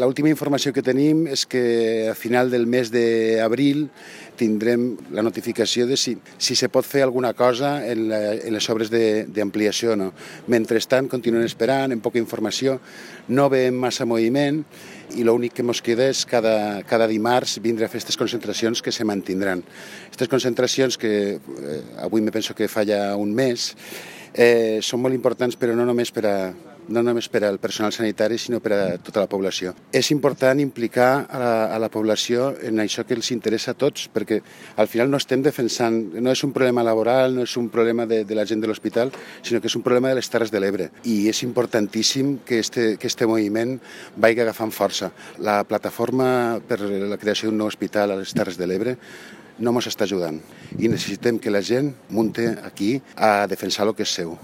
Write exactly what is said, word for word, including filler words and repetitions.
L'última informació que tenim és que a final del mes d'abril tindrem la notificació de si, si se pot fer alguna cosa en, la, en les obres d'ampliació o no. Mentrestant, continuem esperant, amb poca informació, no veiem massa moviment i l'únic que ens queda és cada, cada dimarts vindre a fer aquestes concentracions que se mantindran. Aquestes concentracions que eh, avui me penso que fa ja un mes eh, són molt importants, però no només per a no només per al personal sanitari, sinó per a tota la població. És important implicar a la, a la població en això que els interessa a tots, perquè al final no estem defensant, no és un problema laboral, no és un problema de, de la gent de l'hospital, sinó que és un problema de les Terres de l'Ebre. I és importantíssim que este, que este moviment vagi agafant força. La plataforma per la creació d'un nou hospital a les Terres de l'Ebre no ens està ajudant i necessitem que la gent munti aquí a defensar el que és seu.